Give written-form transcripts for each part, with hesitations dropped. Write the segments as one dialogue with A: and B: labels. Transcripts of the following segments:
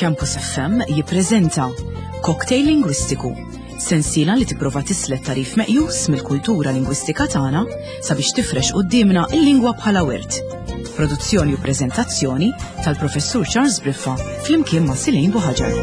A: Campus FM jippreżenta Cocktail Lingwistiku, sensiela li tipprova tislet tarif meqjus mill-kultura lingwistika tagħna sabiex tifrex quddiemna l-lingwa bħala wirt. Produzzjoni u preżentazzjoni tal-Professur Charles Briffa flimkien ma' Silin Buħaġar.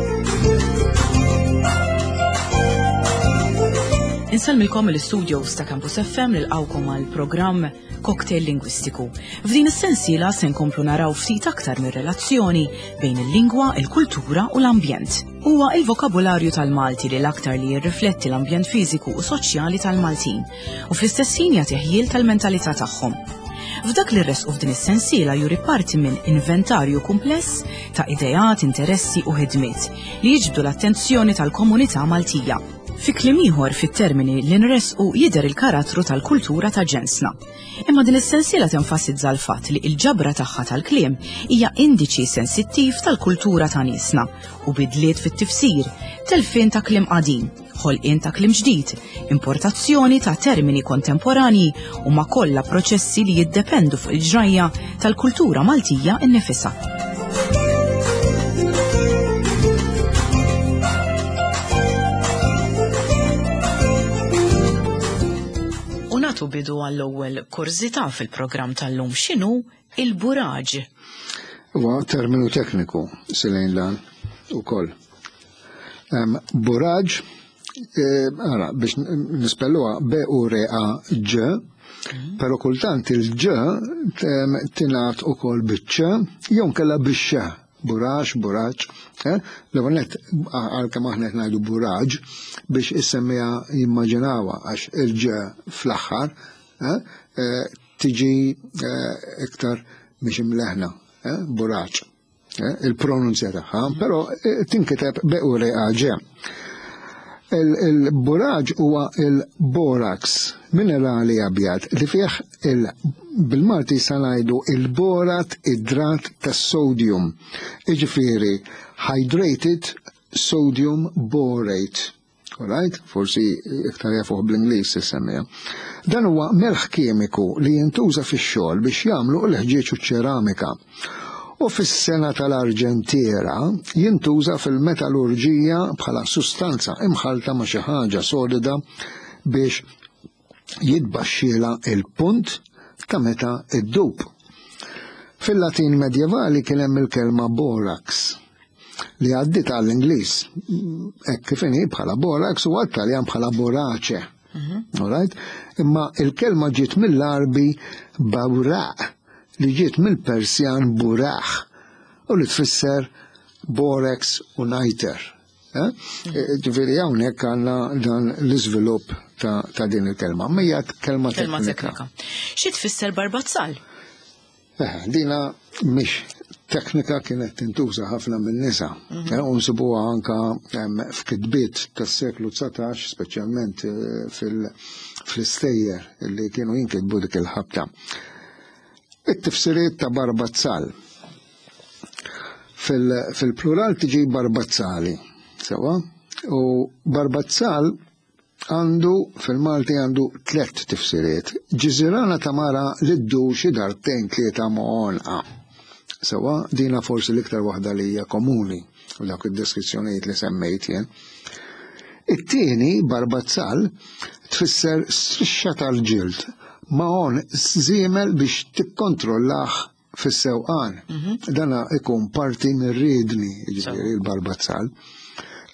A: Insellmilkom mill-istudios ta' Campus FM nilqgħukom għal programm Cocktail Lingwistiku. F'din is-sensiela se nkomplu naraw ftit aktar mir-relazzjoni bejn il-lingwa, il-kultura u l-ambjent. Huwa il-vokabularju tal-Malti li l-aktar li jirrifletti l-ambjent fiżiku u soċjali tal-Maltin u fl-istess ħin jagħti ħjiel tal-mentalità tagħhom. F'dak li rresqu f'din is-sensiela juri parti minn inventarju kumpless ta' ideat, interessi u ħidmiet li jiġbdu l-attenzjoni tal-komunità Maltija. Fi kliem ieħor fit-termini li nressqu jidher il-karattru tal-kultura ta' ġensna. Imma din is-sensiela tenfasizza l-fatt li l-ġabra tagħha tal-kliem hija indiċi sensittiv tal-kultura ta' niesna u bidliet fit-tifsir, telfien ta' kliem qadim, ħolqien ta' kliem ġdid, importazzjoni ta' termini kontemporanji huma kollha proċessi li jiddependu fuq il-ġrajja tal-kultura Maltija nnifisha. U nagħtu bidu għall-ewwel kurżità fil-programm tal-lum x'inhu il-buraġ.
B: Huwa terminu tekniku silejn lan ukoll. Buraġ, eh, ara, biex nispelluha B U R A Ġ, mhm. però kultant il-ġ tingħad ukoll biċ-ċ jew nkella bix-x. Burax, buraġ, eh? L-ewwel nett għalkemm aħna qed ngħidu buraġ biex is-semmiegħa jimmaġinawha għax il-ġ fl-aħħar eh, eh, tiġi iktar mhix imleħna, buraġ. Eh, il-pronunzja tagħha, però eh, tinkiteb B-U-R-A-G. Il-buraġ huwa il-borax, minerali abjad li fih bil-Malti sa ngħidu il-borat idrat tas-sodium, jiġifieri hydrated sodium borate. Alright? Forsi iktar jafuh bl-Ingliż is-semmija. Dan huwa melħ kimiku li jintuża fix-xogħol biex jagħmlu l-ħġieġ u ċ-ċeramika. U fis-sena tal-arġentiera jintuża fil-metalurġija bħala sustanza imħallta ma' xi ħaġa solida biex jitbaxxielha il-punt ta' meta ddub. Fil-Latin medjevali kien hemm il-kelma borax li għaddiet għall-Ingliż hekk kif inhi bħala borax u għat-Taljan bħala borace. Mhm. Alright? Imma il-kelma ġiet mill-Arbi bawraq li ġiet mill-Persjan buraħ u li tfisser borax u niter. Eh? Eh, ġifieri hawnhekk għandna dan l-iżvilupp ta' din il-kelma. Ma hija kelma teknika.
A: Xi tfisser barbazzal?
B: Eh, dina mhix teknika kienet tintuża ħafna minn nisa. Mhm. U nsibuha anka f'kitbiet tas-seklu 19, speċjalment fl-istejjer li kienu jinkitbu dik il-ħabta. It-tifsiriet ta' barbazzal. Fil-plural tiġi barbazzali, sewa? U barbazzal għandu fil-Malti għandu tlett tifsiriet. Ġiżirana ta' mara li ddur xi darbtejn tlieta ma' għonqa. Sewa, dina forsi l-iktar waħda li hija komuni u dawk id-deskrizzjonijiet li semmejt jien. It-tieni, barbazzal, tfisser strixxa tal-ġild ma' għonq żiemel biex tikkontrollah fis-sewqan. Mhm. Dana ikun parti mir-riedni, jiġifieri l-barbazzal.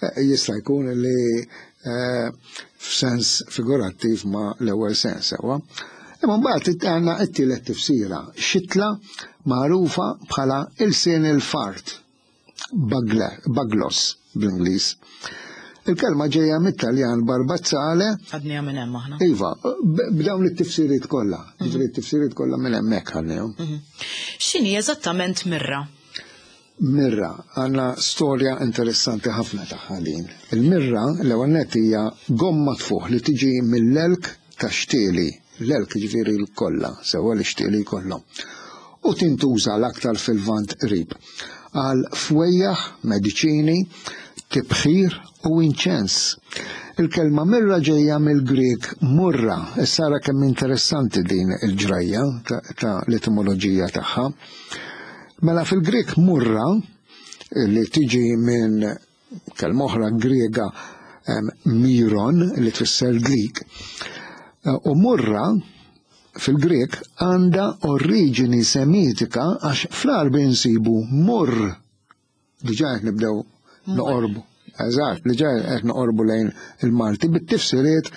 B: Eh, jista' jkun li eh, f'sens figurattiv ma l-ewwel sens sewwa. Imma mbagħad għandna t-tielet tifsira, xitla magħrufa bħala ilsien il-fart. Baglos bl-Ingliż. Il-kelma ġejja mit-Taljan barbazzale.
A: Għadniha minn hemm aħna.
B: Iva, b'dawn it-tifsiriet kollha, mhm. ġifieri t-tifsiriet kollha minn hemmhekk ħadnihom.
A: Mhm. X'inhi eżattament mirra?
B: Mirra, għandna storja interessanti ħafna tagħha din. Il-mirra l-ewwel nett hija gomma tfuħ li tiġi mill-elk ta' xtieli L-elk jiġifieri l-kollha, sewwa l-ixtieli jkollhom. U tintuża l-aktar fil-Lvant Qrib għal fwejjaħ, mediċini, tibħir u inċens. Il-kelma mirra ġejja mill-Grieg murra. Issa ara kemm interessanti din il-ġrajja ta' l-etimoloġija tagħha. Mela fil-Grieg murra. li tiġi minn kelma oħra Griega miron li tfisser dlik. U murra fil-Grek għandha oriġini semitika għax fl-Għarbi nsibu murr. Diġà qed nibdew noqorbu. Eżatt, diġà qed noqorbu lejn il-Malti bit-tifsiriet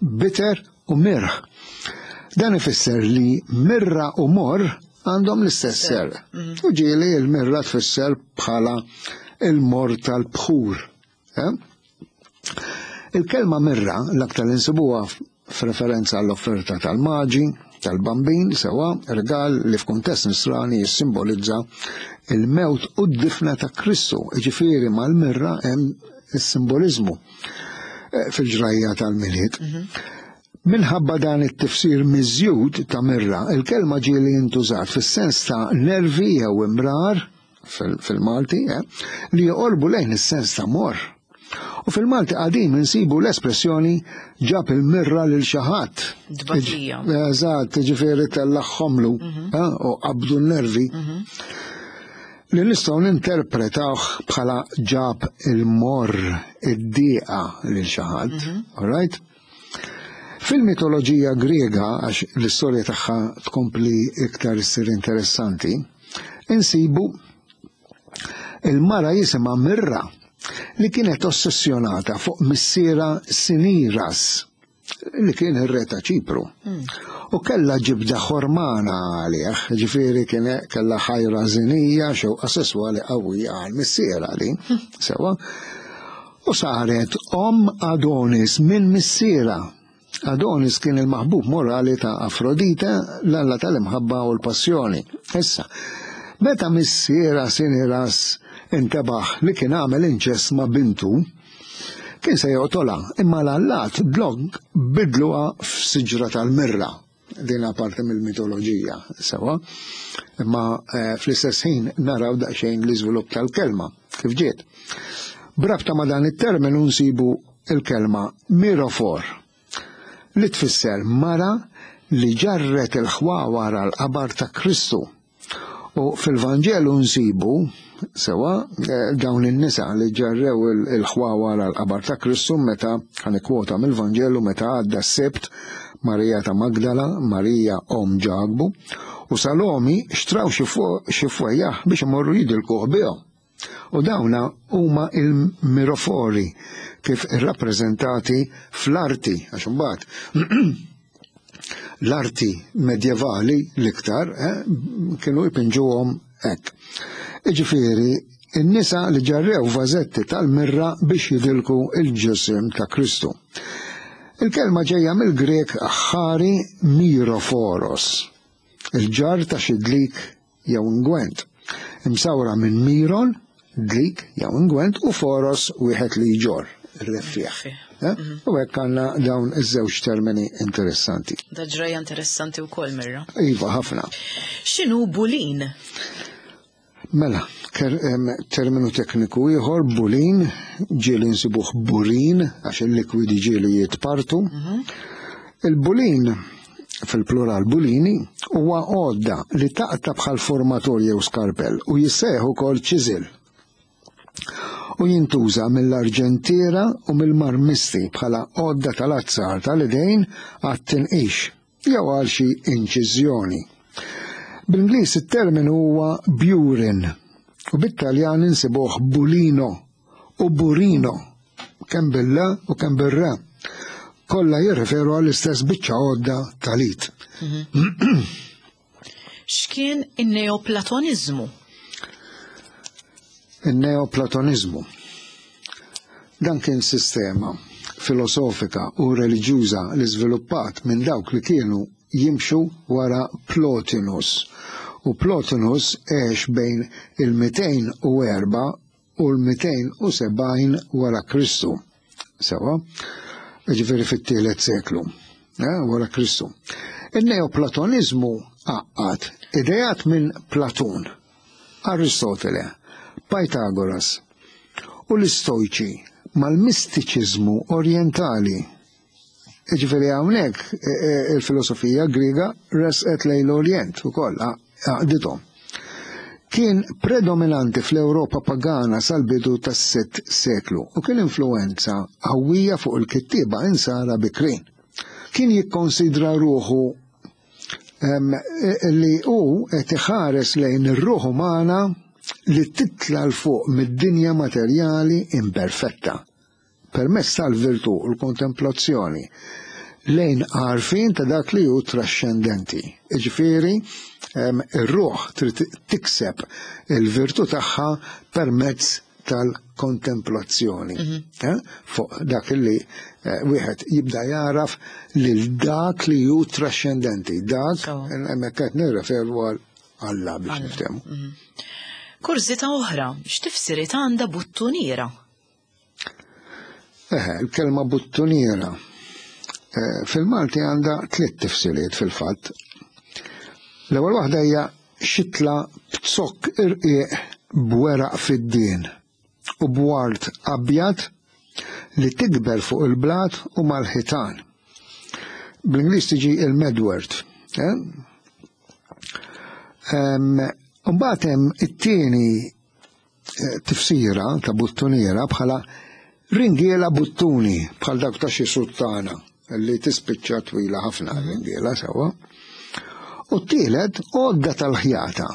B: bitter u mirħ. Dan ifisser li mirra u morr għandhom l-istess ser. U ġieli l-mirra tfisser bħala il-mor tal-bħur. Eh? Il-kelma mirra l-aktar insibuha f'referenza għall-offerta tal-maġi, tal-bambin, sewa regal li f'kuntest nisrani jissimbolizza il-mewt u d-difna ta' Kristu, ġifieri mal-mirra hemm is-simbolizmu eh, fil-ġrajja tal-Milied. Minħabba dan it-tifsir miżjud ta' mirra, il-kelma ġieli intużat fis-sens ta' nervi jew imrar fil-Malti, eh, li joqorbu lejn is-sens ta' morr. U fil-Malti qadim insibu l-espressjoni ġab il-mirra lil xi ħadd.
A: Tbatija.
B: Eżatt, ġifieri tellagħhomlu mhm. eh, u qabdu n-nervi. Mhm. Li nistgħu ninterpretawh bħala ġab il-morr, id-dieqa lil xi ħadd. Mhm. All right? Fil-mitoloġija Griega, għax l-istorja tagħha tkompli iktar issir interessanti, insibu il-mara jisimha Mirra li kienet ossessjonata fuq missiera Siniras li kien ir-re ta' Ċipru. Hmm. U kellha ġibda ħormana għalih, ġifieri kien kellha ħajra żinija xewqa sesswali qawwija għal missiera li, hmm. sewa. U saret omm Adonis minn missierha. Adonis kien il-maħbub morali ta' Afrodite, l-alla tal-imħabba u l-passjoni. Issa, meta missierha Siniras intebaħ li kien għamel inċest ma' bintu, kien se joqtolha, imma l-allat dlonk bidluha f'siġra tal-mirra. Din parti mill-mitoloġija, sewa. Imma eh, fl-istess ħin naraw daqsxejn l-iżvilupp tal-kelma, kif ġiet. Brabta ma' dan it-terminu nsibu il-kelma mirofor, li tfisser mara li ġarret il-ħwawar għall-qabar ta' Kristu. U fil-Vanġelu nsibu sewa eh, dawn in-nisa li ġarrew il-ħwawar għal qabar ta' Kristu meta ħanikwota mill-Vanġelu meta għadda s-Sibt Marija ta' Magdala, Marija om Ġakbu u Salomi xtraw xi fwejjaħ biex imorru jidilkuh bihom. U dawna huma il-mirofori kif irrappreżentati fl-arti, għax imbagħad l-arti medjevali l-iktar eh, kienu jpinġuhom hekk. Iġifieri, in-nisa li ġarrew vażetti tal-mirra biex jidilku il-ġisem ta' Kristu. Il-kelma ġejja mill-Grek aħħari miroforos, il-ġar ta' xi dlik jew ingwent, imsawra minn miron, dlik jew ingwent, u foros wieħed li jġorr, ir-reffiegħ. Eh? Mhm. U hekk għandna dawn iż-żewġ termini interessanti.
A: Da ġrajja interessanti wkoll mirra.
B: Iva, ħafna.
A: X'inhu bulin?
B: Mela, terminu tekniku ieħor bulin, ġieli nsibuh burin għax il-likwidi ġieli jitpartu. Mhm. Il-bulin fil-plural bulini, huwa għodda li taqta' bħal formatur jew skarpell u jissejjaħ ukoll ċiżil. U jintuża mill-arġentiera u mill-marmisti bħala għodda tal-azzar tal-idejn għat-tinqix jew għal xi inċiżjoni. Bl-Ingliż it-terminu huwa burin u bit-Taljan insibuh bulino u burino, kemm bil-L u kemm bir-R. Kollha jirreferu għall-istess biċċa għodda tal-id.
A: Mhm. X'kien in-Neoplatoniżmu?
B: In-Neoplatoniżmu. Dan kien sistema filosofika u reliġjuża li żviluppat minn dawk li kienu jimxu wara Plotinus. U Plotinus għex bejn il-204 u l-270 wara Kristu. Sewa, ġifieri fit-tielet seklu eh, wara Kristu. Il-Neoplatonizmu għaqqad idejat minn Platun, Aristotele, Pythagoras u l-Istojċi mal-mistiċiżmu orjentali. Ġifieri hawnhekk e, e, il-filosofija Griega resqet lejn l-Orjent ukoll għaqdithom. Kien predominanti fl-Ewropa pagana sal-bidu tas-sitt seklu u kien influwenza qawwija fuq il-kittieba insara bikrin. Kien jikkonsidra ruħu li hu qed iħares lejn ir-ruħ umana li titla' 'l fuq mid-dinja materjali imperfetta. permezz tal-virtù u l-kontemplazzjoni lejn għarfien ta' dak li hu traxxendenti. Iġifieri, ir-ruħ trid tikseb il-virtù tagħha permezz tal-kontemplazzjoni. Mhm. Eh, fuq dak li eh, wieħed jibda jaraf lil dak li hu traxxendenti, dak hemmhekk qed nirreferu għal Alla biex niftehmu.
A: Mhm. Kurżità oħra, x'tifsiriet għandha buttuniera?
B: Eħe, il-kelma buttuniera eh, fil-Malti għandha tliet tifsiriet fil-fatt. L-ewwel waħda hija xitla b'zokk irqiq b'weraq fid-dien u b'ward abjad li tikber fuq il-blat u mal-ħitan. Bl-Ingliż tiġi il-medwort. Eh? Mbagħad hemm it-tieni eh, tifsira ta' buttuniera bħala ringiela buttuni bħal dak ta' xi suttana li tispiċċa twila ħafna mhm. ringiela sewwa. U t-tielet għodda tal-ħjata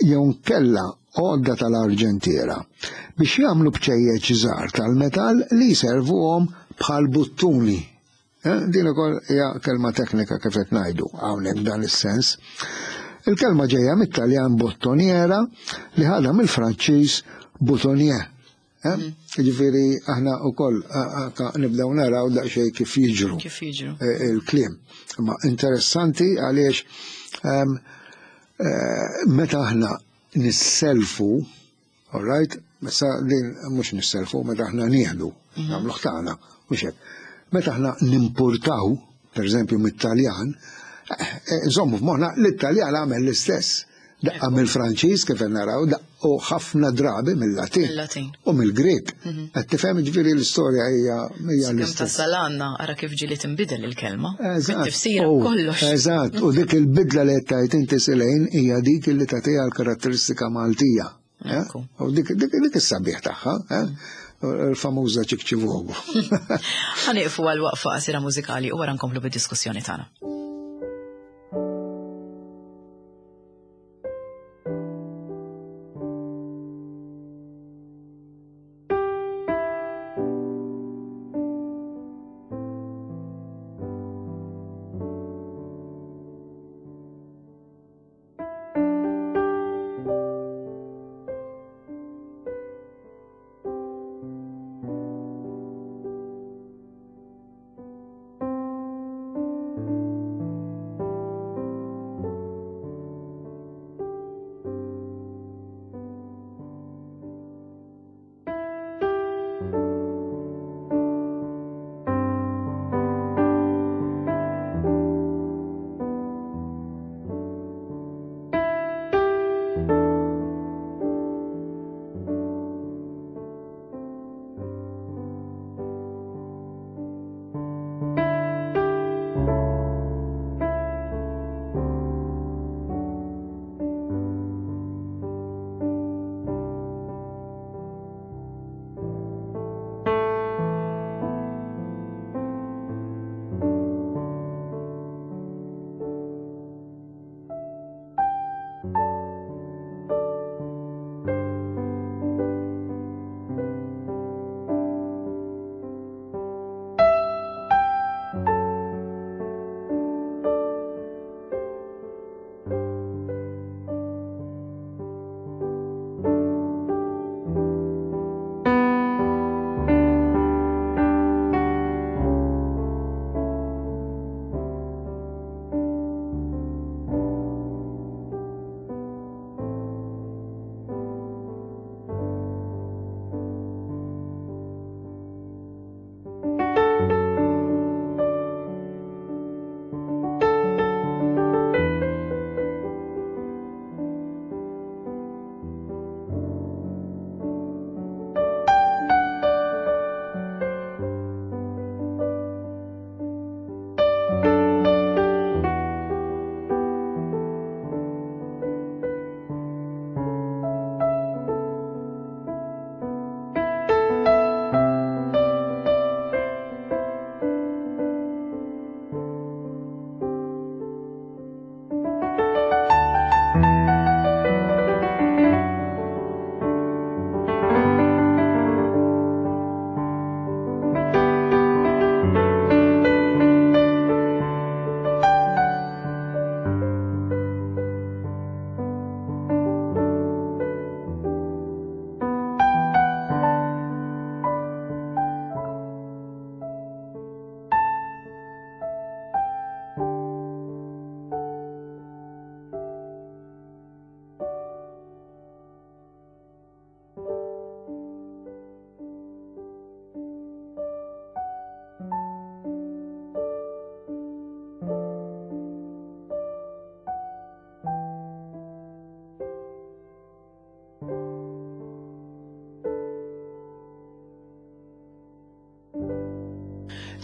B: jew kella għodda tal-arġentiera biex jagħmlu bċejjeċ żgħar tal-metall li jservuhom bħal buttuni Eh, din ukoll hija kelma teknika kif qed ngħidu hawnhekk dan is-sens. Il-kelma ġejja mit-Taljan bottoniera li ħadha mill-Franċiż boutonnier. Eh? Mm. Ġifieri aħna wkoll nibdew naraw daqsxejn kif jiġru.
A: Kif jiġru.
B: Eh, il-kliem. Ma interessanti għaliex ehm, meta aħna nisselfu All right? Messa din mhux nisselfu meta aħna nieħdu, mhm. nagħmluh tagħna, mhux hekk. Meta aħna nimpurtaw, pereżempju mit-Taljan, eh, eh, żommu f'moħħna l-Italjan għamel l-istess. Daqqa mill-Franċiż kif naraw, u ħafna drabi mill-Latin. U mill-Grek. Mhm. Qed tifhem ġifieri l-istorja hija hija
A: l-istess. Tasal għandna ara kif ġieli tinbidel il-kelma. Eżatt. Tifsira kollox.
B: Eżatt, u dik il-bidla li qed tgħid inti Silejn hija dik li tagħtiha l-karatteristika Maltija. Eh? U dik dik is-sabiħ tagħha, eh? il-famuża ċikċivogu.
A: Ħaniqfu għal waqfa qasira mużikali u wara nkomplu bid-diskussjoni tagħna.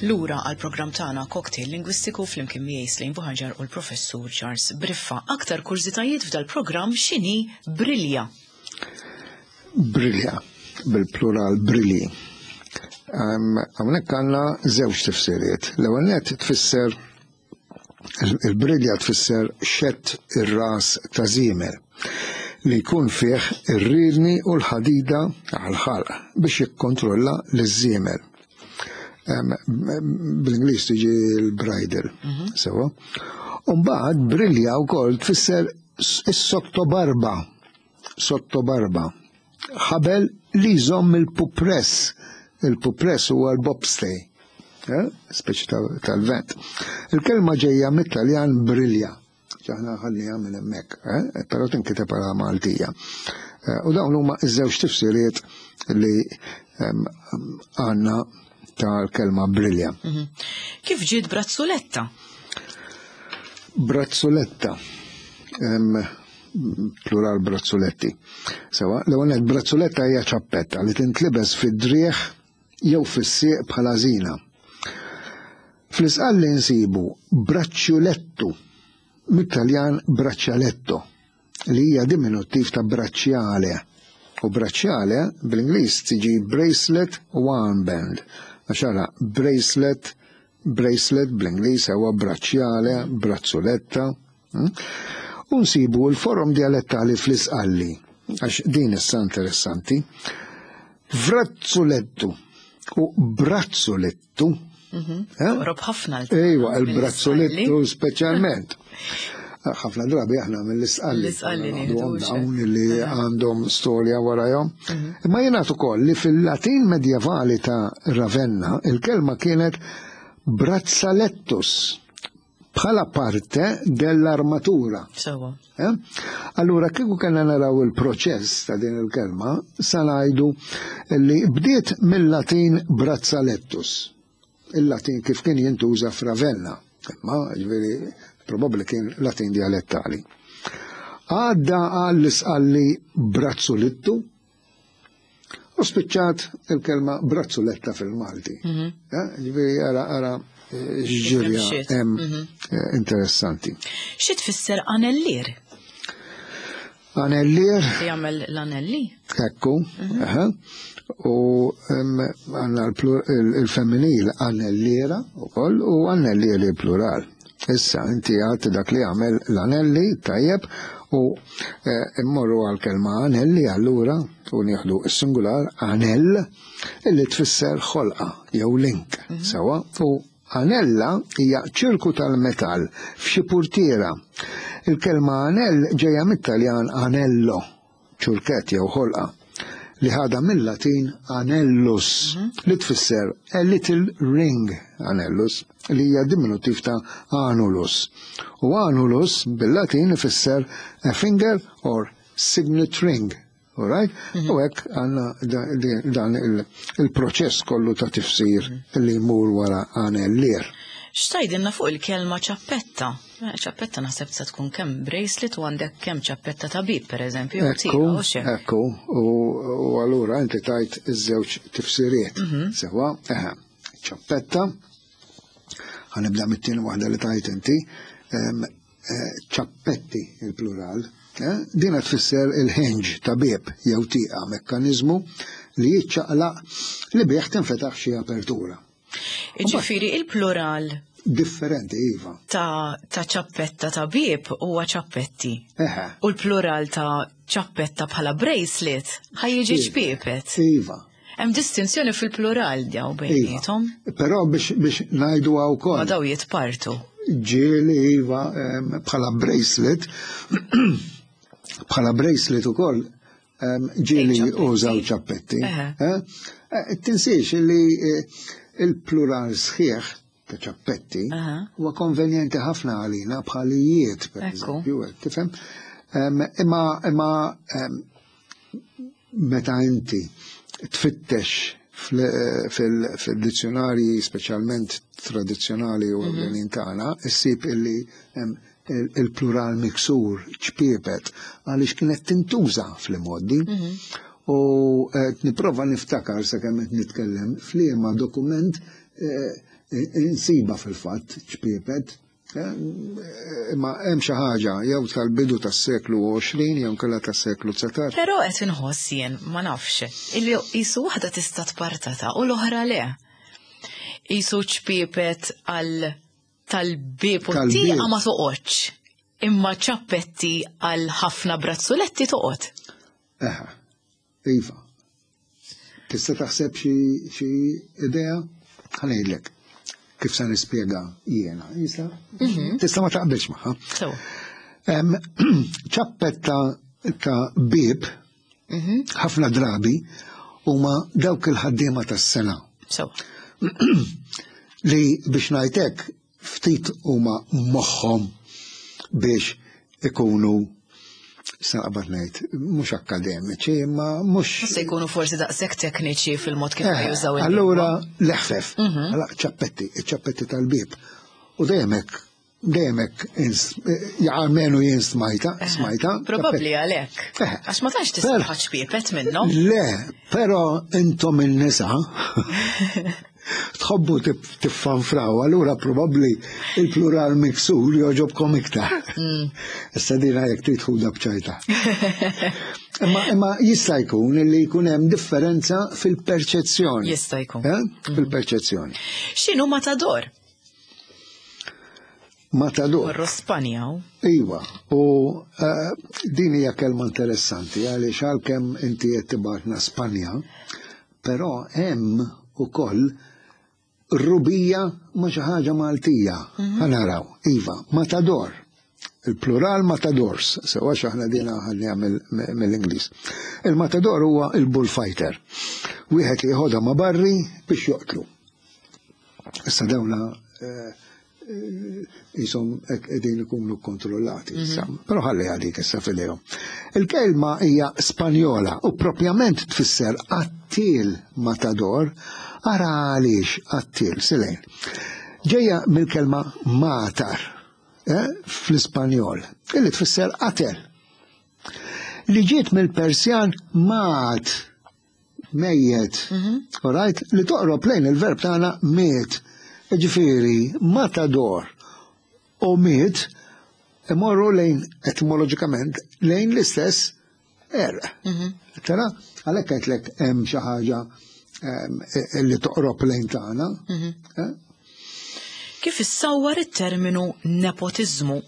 A: Lura għal programm tagħna Cocktail Lingwistiku flimkien miegħi Slejn Buħaġar u l-Professur Charles Briffa. Aktar kurżitajiet f'dal-programm x'inhi brilja?
B: Brilja, bil-plural brilji. Hawnhekk għandna żewġ tifsiriet. L-ewwel nett tfisser il-brilja tfisser xett ir-ras ta' żiemel li jkun fih ir-rirni u l-ħadida għal-ħalq biex jikkontrolla l-żiemel. Bl-Ingliż tiġi l-bridle, sewa. Umbagħad brilja wkoll tfisser is-sottobarba, sottobarba. Ħabel li jżomm il-pupress. Il-pupress huwa l-bobstay, eh? speċi tal-vent. Il-kelma ġejja mit-Taljan brilja. Ġaħna ħallija minn hemmhekk, eh? però tinkiteb għala Maltija. Eh, u dawn huma iż-żewġ tifsiriet li għandna tal-kelma brilja.
A: Kif ġiet brazzuletta?
B: Brazzuletta. Plural brazzuletti. Sewa, l-ewwel brazzuletta hija ċappetta li tintlibes fid-driegħ jew fis-sieq bħala żina. Fl-isqalli nsibu braċċjulettu mit-Taljan braccialetto li hija diminuttiv ta' bracciale. U bracciale bl-Ingliż tiġi bracelet u armband. Għax ara bracelet, bracelet bl-Ingliż huwa bracciale, brazzuletta. U nsibu l-forom dialettali fl-isqalli, għax din issa interessanti. Vrazzulettu u brazzulettu.
A: Eh? Rob ħafna.
B: Ejwa, il-brazzulettu speċjalment. Ħafna drabi aħna mill-isqalli.
A: L-isqalli
B: dawn li għandhom storja warajhom. Imma jingħad ukoll li fil-Latin medjevali ta' Ravenna il-kelma kienet brazzalettus bħala parte dell'armatura.
A: Sewa.
B: Eh? Allura kieku kellna naraw il-proċess ta' din il-kelma, sa ngħidu li bdiet mill-Latin brazzalettus. Il-Latin kif kien jintuża f'Ravenna, imma ġifieri probabbli kien Latin dialettali. Għadda għall-isqalli brazzulittu u spiċċat il-kelma brazzuletta fil-Malti. Mhm. Eh, ġifieri ara ara eh, x'ġirja hemm mhm. eh, interessanti.
A: Xi tfisser anellier?
B: Anellier.
A: Jagħmel l-anelli?
B: Ekku, mhm. u għandna il-femminil anelliera ukoll u anellieri plural. Issa, inti għat dak li għamel l-anelli, tajjeb, u eh, immorru għal kelma anelli allura u nieħdu s-singular anell illi tfisser ħolqa jew link, mhm. sewa, u anella hija ċirku tal-metall f'xi purtiera. Il-kelma anell ġejja mit-Taljan anello, ċurkett jew ħolqa, li ħadha mill-Latin anellus, mhm. li tfisser a little ring anellus, li hija diminutiv ta' anulus. U anulus bil-Latin ifisser a finger or signet ring. Alright? Mhm. U hekk għandna dan il-proċess kollu ta' tifsir mhm. li jmur wara anellier.
A: X'tajdilna fuq il-kelma ċappetta? Eh, ċappetta naħseb se tkun kemm bracelet u għandek kemm ċappetta ta' bib, per eżempju.
B: Ekku, ekku, u allura inti tajt iż-żewġ tifsiriet. Mhm. Sewa, eħe, ċappetta, ħanibda mit-tieni waħda li tajt inti, eh, ċappetti il-plural, eh, dina tfisser il-hinge ta' bieb jew tieqa mekkaniżmu li jiċċaqlaq li bih tinfetaħ xi apertura.
A: Ġifieri il-plural
B: differenti iva.
A: Ta' ta' ċappetta ta' bieb huwa ċappetti. Eħe. U l-plural ta' ċappetta bħala bracelet ħajjiġi ċpiepet.
B: Iva.
A: Hemm distinzjoni fil-plural daw iva. bejniethom.
B: Però biex biex ngħidu wkoll.
A: Ma daw jitpartu.
B: Ġieli iva bħala bracelet bħala bracelet ukoll ġieli użaw ċappetti. Eh? Eh, tinsiex li eh, il-plural sħiħ ta' ċappetti huwa konvenjenti ħafna għalina bħalijiet, per eżempju, tifhem? Imma imma meta inti tfittex fil-dizzjonarji speċjalment tradizzjonali u mhm. tagħna, issib illi il-plural miksur ċpiepet għaliex kienet tintuża fl-imgħoddi. Mhm. U qed nipprova niftakar sakemm qed nitkellem f'liema dokument eh, insiba fil-fatt ċpiepet, eh, imma hemm xi ħaġa jew tal-bidu tas-seklu 20 jew kellha tas-seklu 19.
A: Però qed inħoss jien ma nafx illi qisu waħda tista' tpartata u l-oħra le. Qisu ċpiepet għal tal-bieb u tieqa ma toqgħodx. Imma ċappetti għal ħafna brazzuletti toqgħod.
B: Eħe, iva. Tista' taħseb xi idea? Ħa ngħidlek kif se nispjega jiena. Jista'? Mhm. Tista' ma taqbilx magħha. Ċappetta ta' bieb mhm. ħafna drabi huma dawk il-ħaddiema tas-sena. Li biex ngħidlek ftit huma moħħhom biex ikunu sa naqbad ngħid mhux akkademiċi imma mhux.
A: Se jkunu forsi daqshekk tekniċi fil-mod kif eh, jużaw il
B: Allura l-eħfef, mhm. allura ċappetti, ċappetti tal-bieb. U dejjem hekk dejjem hekk jgħalmenu jien smajta, eh, smajta.
A: Probabbli għalhekk. Eh. Għax ma tantx tisma' ċpiepet minnhom.
B: Le, però intom in-nisa tħobbu tiffanfraw, allura probabbli il-plural miksur joġobkom iktar. Mm. Issa dina jekk trid ħuda b'ċajta. Imma imma jista' jkun li jkun hemm differenza fil-perċezzjoni.
A: Jista' jkun.
B: Eh? Mm. Fil-perċezzjoni.
A: X'inhu matador?
B: Matador.
A: Morru Spanja.
B: Iva, u eh, din hija kelma interessanti għaliex għalkemm inti qed tibgħatna Spanja, Però hemm ukoll rubija ma' xi ħaġa Maltija. Mhm. Ħa naraw, iva, matador. Il-plural matadors, sewa x'aħna dina ħalliha mill-Ingliż. Il-matador huwa il-bullfighter. Wieħed li jħodha ma' barri biex joqtlu. Issa dawna eh, jisom qegħdin ikunu kontrollati issa. Mhm. Però ħalli għadik issa fidejhom. Il-kelma hija Spanjola u propjament tfisser qattiel matador, ara għaliex qattiel, silejn. Ġejja mill-kelma matar eh, fl-Ispanjol, illi tfisser qatel. Li ġiet mill-Persjan mat mejjet, mhm. all right, li toqrob lejn il-verb tagħna miet. Ġifieri, matador u miet imorru lejn etimoloġikament lejn l-istess er. Mhm. Tara, għalhekk għedtlek hemm xi ħaġa e, li toqrob lejn tagħna. Mhm. Eh?
A: Kif issawwar it-terminu nepotiżmu?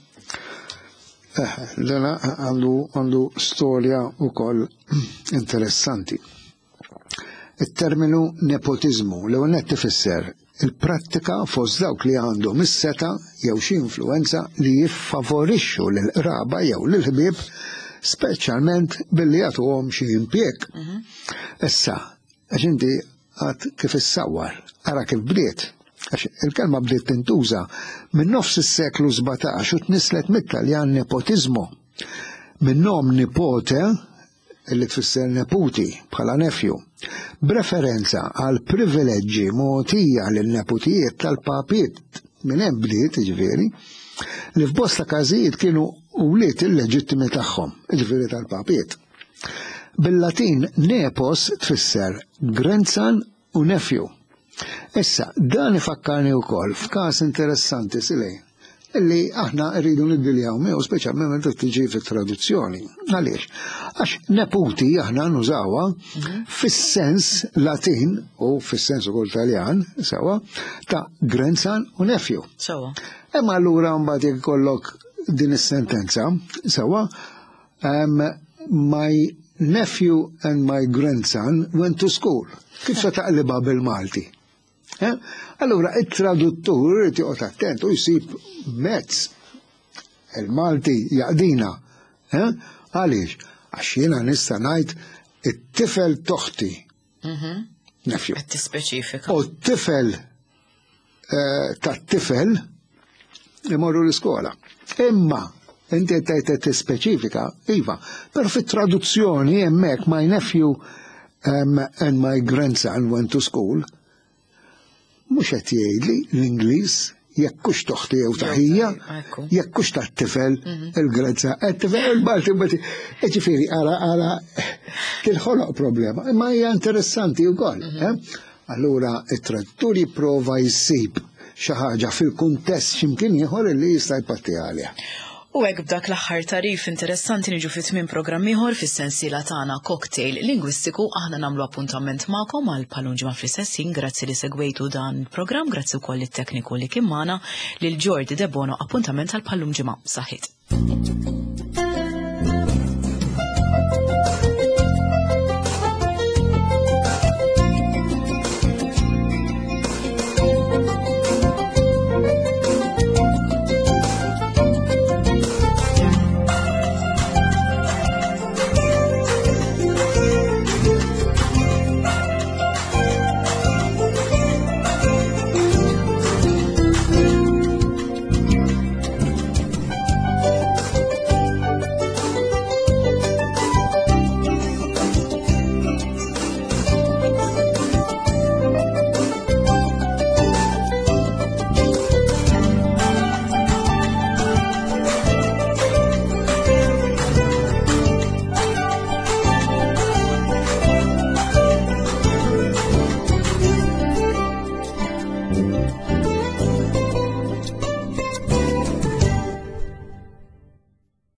B: Eh, dana għandu għandu storja wkoll interessanti. Il-terminu nepotiżmu l net tifisser il-prattika fost dawk li għandhom is-seta jew xi influenza li jiffavorixxu lil qraba jew lil ħbieb speċjalment billi jagħtuhom xi impjieg. Mhm. Issa, Għax inti għad kif issawwar, ara kif bdiet. Għax il-kelma bdiet tintuża minn nofs is-seklu 17 u tnisslet mit-Taljan nepotismo. Minn nom nipote, li tfisser neputi bħala nephew, b'referenza għal privileġġi mogħtija lin-neputijiet tal-papiet minn hemm bdiet, jiġifieri, li f'bosta każijiet kienu wlied illeġittimi tagħhom, jiġifieri tal-papiet. Bil-Latin nepos tfisser grandson u nephew. Issa, dan ifakkarni wkoll f'każ interessanti silej illi aħna rridu niddiljaw miegħu speċjalment meta tiġi fit-traduzzjoni. Għaliex? Għax neputi aħna nużawha mhm. fis-sens Latin u fis-sens ukoll Taljan, sewa, ta' grandson u nephew.
A: Sewa.
B: Imma allura mbagħad jekk ikollok din is-sentenza, sewa, Um, my nephew and my grandson went to school. Kif se taqliba bil-Malti? Eh? Allura, it-traduttur irid joqgħod attent u jsib mezz. Il-Malti jaqdina. Eh? Għaliex? Għax jiena nista' ngħid it-tifel toħti.
A: Mhm.
B: Nephew.
A: Qed tispeċifika.
B: U t-tifel eh, tat-tifel imorru l-iskola. Imma inti qed tgħid tispeċifika, iva, però fit-traduzzjoni hemmhekk my nephew um, and my grandson went to school, mhux qed jgħidli l-Ingliż jekk hux toħti jew taħija, jekk hux tat-tifel mhm. il-grezza, qed-tifel il-Malti Ġifieri ara ara tinħoloq problema, imma hija interessanti wkoll. Mhm. Eh? Allura it-traduttur jipprova jsib xi ħaġa fil-kuntest x'imkien ieħor li jista' jpatti għaliha.
A: U hekk b'dak l-aħħar tagħrif interessanti niġu fi tmiem programm ieħor fis-sensiela tagħna Cocktail Lingwistiku. Aħna nagħmlu appuntament magħkom għal bħal ġimgħa fl-istess ħin. Grazzi li segwejtu dan il-programm, grazzi wkoll lit-tekniku li kien magħna, lil Jordi Debono, appuntament għal bħal ġimgħa. Saħħit.